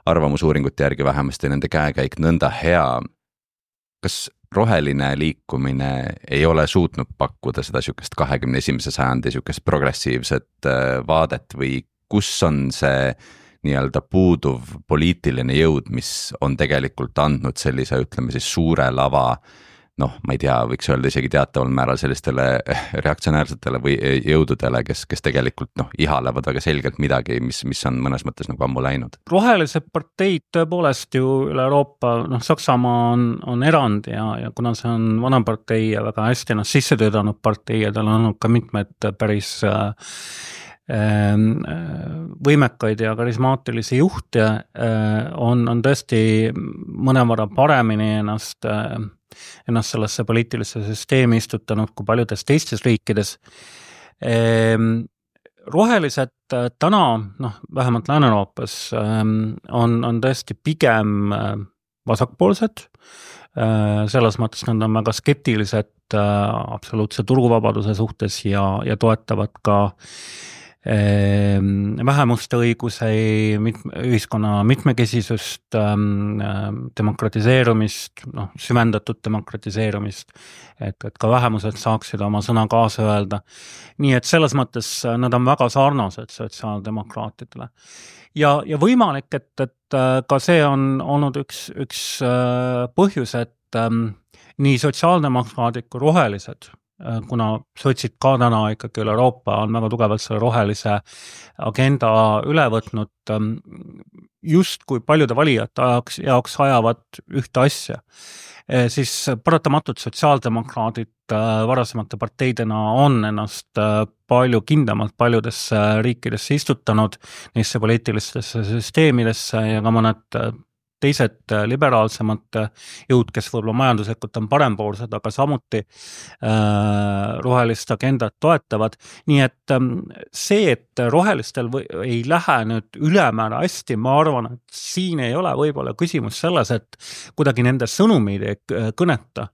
arvamusuuringute järgi vähemasti nende käekäik nõnda hea. Kas roheline liikumine ei ole suutnud pakkuda seda sükest 21. sajandi sükest progressiivset vaadet või kus on see nii-öelda puuduv poliitiline jõud, mis on tegelikult andnud sellise, ütleme siis suure lava, ma ei tea, võiks öelda isegi teataval määral sellistele reaktsionäärsetele või jõududele, kes tegelikult ihalevad väga selgelt midagi, mis on mõnes mõttes ammu läinud. Rohelised parteid tõepoolest ju üle Euroopa, Saksamaa on erand ja kuna see on vana partei ja väga hästi sisse töötanud partei ja tal on olnud ka mitmed päris võimekaid ja karismaatilisi juhte, on tõesti mõnevõrra paremini ennast sellesse poliitilisse süsteemi istutanud kui paljudes teistes riikides. Rohelised täna, vähemalt Lääne-Euroopas, on tõesti pigem vasakpoolsed, selles mõttes nad on väga skeptilised absoluutse turuvabaduse suhtes ja toetavad ka vähemuste õiguse, ühiskonna mitmekesisust, demokratiseerumist, süvendatud demokratiseerumist, et ka vähemused saaksid oma sõna kaasa öelda. Nii et selles mõttes nad on väga sarnased sotsiaaldemokraatidele. Ja võimalik, et ka see on olnud üks põhjus, et nii sotsiaaldemokraadid kui rohelised, kuna sotsid ka täna ikkagi üle Euroopa on väga tugevalt selle rohelise agenda üle võtnud, just kui paljude valijate jaoks ajavad ühte asja. siis paratamatult sotsiaaldemokraadid varasemate parteidena on ennast palju kindlamalt paljudesse riikidesse istutanud, neisse poliitilistesse süsteemidesse ja ka mõned teised liberaalsemad jõud, kes võib-olla majanduslikult on parempoolsed, aga samuti rohelist agendat toetavad. Nii et see, et rohelistel ei lähe nüüd ülemäära hästi, ma arvan, et siin ei ole võib-olla küsimus selles, et kuidagi nende sõnumid ei kõneta,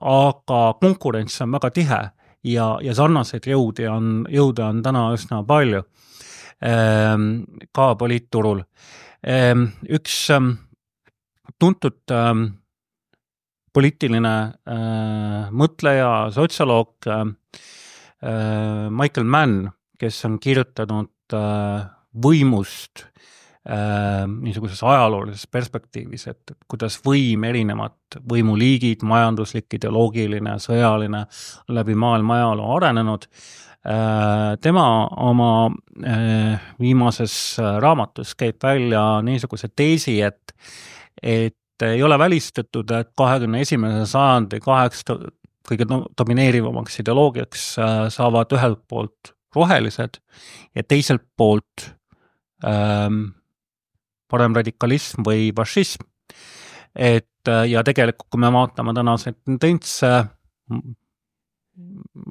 aga konkurents on väga tihe ja sarnaseid jõude on täna üsna palju ka poliitturul. Üks tuntud poliitiline mõtleja, sotsioloog Michael Mann, kes on kirjutanud võimust niisuguses ajaloolises perspektiivis, et kuidas võim, erinevad võimuliigid, majanduslik, ideoloogiline, sõjaline, läbi maailma ajaloo arenenud. Tema oma viimases raamatus käib välja niisuguse teesi, et ei ole välistatud, et 21. sajandi kõige domineerivamaks ideoloogiaks saavad ühelt poolt rohelised ja teiselt poolt paremradikalism või fašism. Ja tegelikult, kui me vaatame tänaseid tendentse,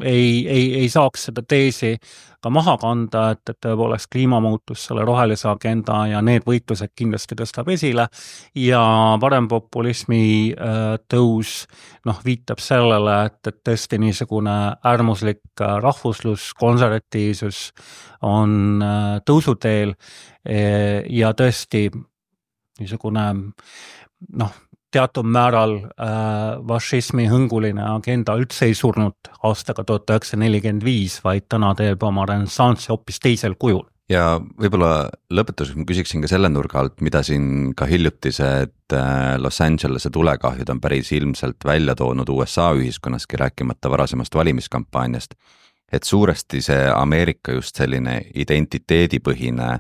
ei saaks seda teesi ka maha kanda, et tõepoolest kliimamuutus, selle rohelise agenda ja need võitlused kindlasti tõstab esile ja parempopulismi tõus viitab sellele, et tõesti niisugune äärmuslik rahvuslus, konservatiivsus on tõusuteel ja tõesti niisugune teatud määral fašismi hõnguline agenda üldse ei surnud aastaga 1945, vaid täna teeb oma renessansi hoopis teisel kujul. Ja võib-olla lõpetuseks ma küsiksin ka selle nurga alt, mida siin ka hiljutised Los Angelese tulekahjud on päris ilmselt välja toonud USA ühiskonnaski, rääkimata varasemast valimiskampaaniast, et suuresti see Ameerika just selline identiteedipõhine,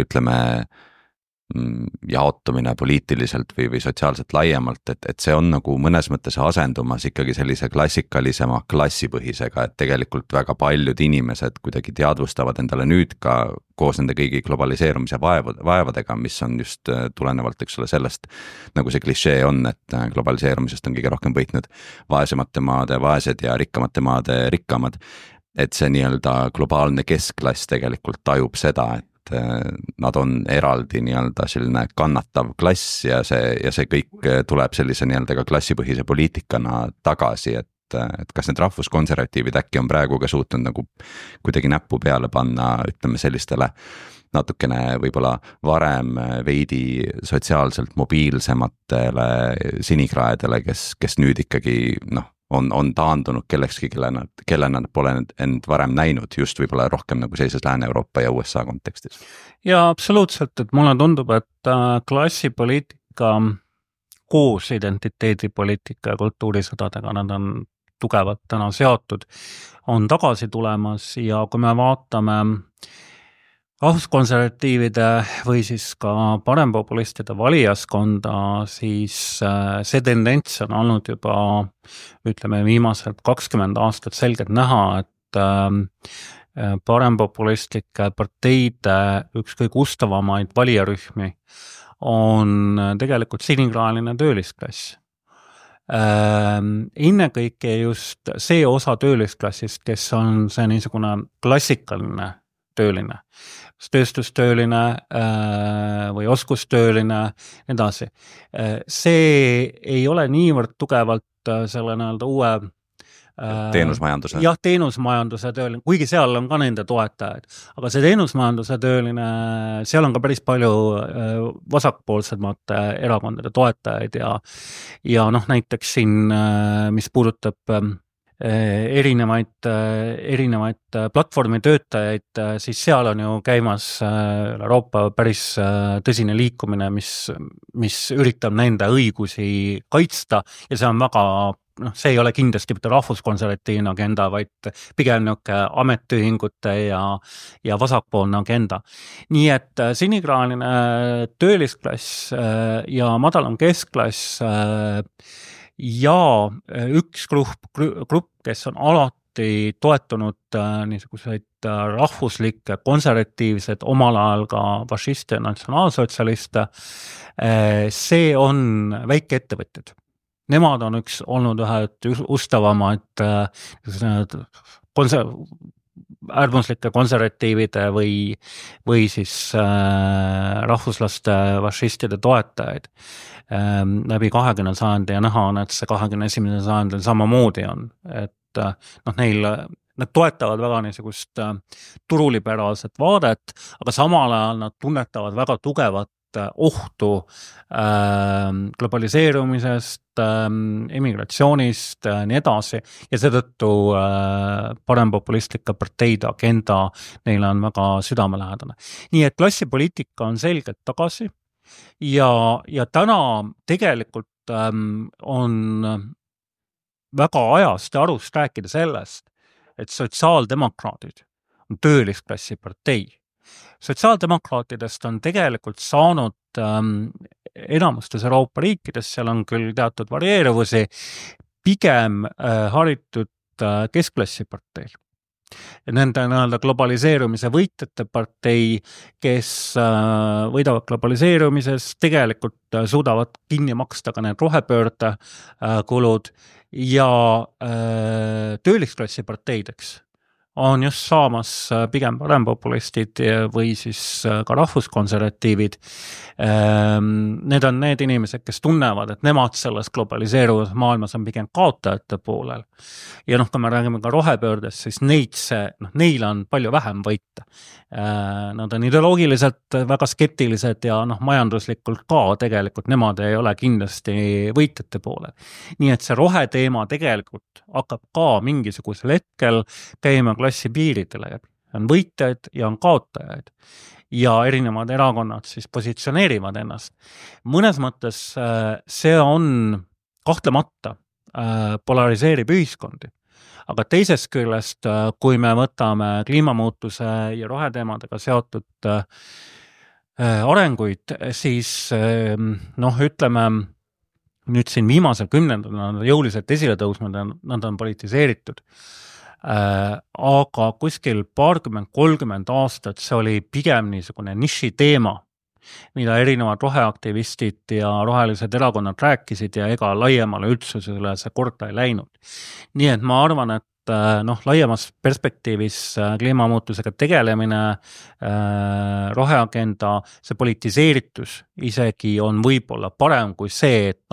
ütleme, jaotumine poliitiliselt või sotsiaalselt laiemalt, et see on nagu mõnes mõttes asendumas ikkagi sellise klassikalisema klassipõhisega, et tegelikult väga paljud inimesed kuidagi teadvustavad endale nüüd ka koos nende kõigi globaliseerumise vaevadega, mis on just tulenevalt, eks ole, sellest, nagu see klišee on, et globaliseerumisest on kõige rohkem võitnud vaesemate maade vaesed ja rikkamate maade rikkamad, et see nii-öelda globaalne keskklass tegelikult tajub seda, et nad on eraldi nii-öelda selline kannatav klass ja see kõik tuleb sellise nii-öelda ka klassipõhise poliitikana tagasi, et kas need rahvuskonservatiivid äkki on praegu ka suutnud nagu kuidagi näppu peale panna, ütleme sellistele natukene võib-olla varem veidi sotsiaalselt mobiilsematele sinikraedele, kes nüüd ikkagi on taandunud kellekski, kelle nad pole end varem näinud, just võib-olla rohkem nagu sellises Lääne-Euroopa ja USA kontekstis. Ja absoluutselt, et mulle tundub, et klassipoliitika koos identiteedipoliitika ja kultuurisõdadega, nad on tugevalt täna seotud, on tagasi tulemas ja kui me vaatame rahvuskonservatiivide või siis ka parempopulistide valijaskonda, siis see tendents on olnud juba, ütleme, viimased 20 aastat selgelt näha, et paremopulistlike parteide üks kõige ustavamaid valijarühmi on tegelikult sinikraeline töölisklass. Innekõike just see osa töölisklassist, kes on see niisugune klassikaline tööline, tööstustööline või oskustööline, edasi. See ei ole niivõrd tugevalt selle nii-öelda uue teenusmajanduse. Jah, teenusmajanduse tööline, kuigi seal on ka nende toetajaid, aga see teenusmajanduse tööline, seal on ka päris palju vasakpoolsemate erakondade toetajaid ja näiteks siin, mis puudutab erinevaid platvormi töötajaid, siis seal on ju käimas Euroopa päris tõsine liikumine, mis üritab nende õigusi kaitsta ja see on väga, see ei ole kindlasti mitte rahvuskonservatiivne agenda, vaid pigem ametiühingute ja vasakpoolne agenda. Nii et sinikraaline töölisklass ja madalam keskklass ja üks grupp, kes on alati toetunud niisuguseid rahvuslikke, konservatiivsed, omal ajal ka fašiste ja natsionaalsotsialiste, see on väikeettevõtjad. Nemad on olnud ühed ustavamaid äärmuslike konservatiivide või siis rahvuslaste fašistide toetajaid läbi 20. sajandi ja näha on, et see 21. sajandil samamoodi on, et nad toetavad väga niisugust turuliberaalset vaadet, aga samal ajal nad tunnetavad väga tugevat ohtu globaliseerumisest, emigratsioonist, nii edasi, ja seetõttu parempopulistlikke parteide agenda neile on väga südamelähedane. Nii et klassipoliitika on selgelt tagasi ja täna tegelikult on väga ajast ja arust rääkida sellest, et sotsiaaldemokraadid on töölisklassi partei. Sotsiaaldemokraatidest on tegelikult saanud enamustes Euroopa riikides, seal on küll teatud varieeruvusi, pigem haritud keskklassi parteil. Nende globaliseerumise võitjate partei, kes võidavad globaliseerumises, tegelikult suudavad kinni maksta ka need rohepöörde kulud ja töölisklassi parteideks on just saamas pigem parempopulistid või siis ka rahvuskonservatiivid. Need on need inimesed, kes tunnevad, et nemad selles globaliseeruvas maailmas on pigem kaotajate poolel. Ja kui me räägime ka rohepöördest, siis neil on palju vähem võita. Nad on ideoloogiliselt väga skeptilised ja majanduslikult ka tegelikult nemad ei ole kindlasti võitjate poolel. Nii et see roheteema tegelikult hakkab ka mingisugusel hetkel käima klassi piiridele. On võitjaid ja on kaotajaid. Ja erinevad erakonnad siis positsioneerivad ennast. Mõnes mõttes see on kahtlemata polariseerib ühiskondi. Aga teisest küljest, kui me võtame kliimamuutuse ja roheteemadega seotud arenguid, siis ütleme, nüüd siin viimasel 10. nad jõuliselt esile tõusnud, nad on politiseeritud. Aga kuskil 20–30 aastat see oli pigem niisugune niši teema, mida erinevad roheaktivistid ja rohelised erakonnad rääkisid ja ega laiemale üldsusele see korda ei läinud. Nii et ma arvan, et laiemas perspektiivis kliimamuutusega tegelemine, roheagenda, see politiseeritus isegi on võib-olla parem kui see, et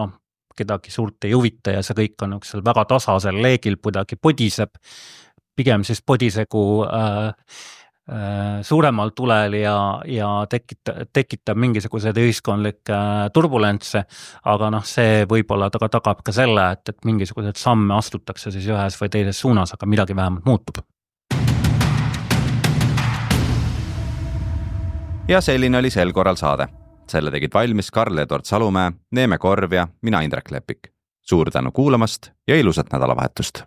kedagi suurt ei huvita ja see kõik on väga tasasel leegil kuidagi podiseb, pigem siis podisegu suuremal tulel ja tekitab mingisugused ühiskondlikke turbulentse, aga see võib-olla tagab ka selle, et mingisugused samme astutakse siis ühes või teises suunas, aga midagi vähemalt muutub. Ja selline oli sel korral saade. Selle tegid valmis Karl-Edward Salumäe, Neeme Korv ja mina Indrek Lepik. Suur tänu kuulamast ja ilusat nädalavahetust!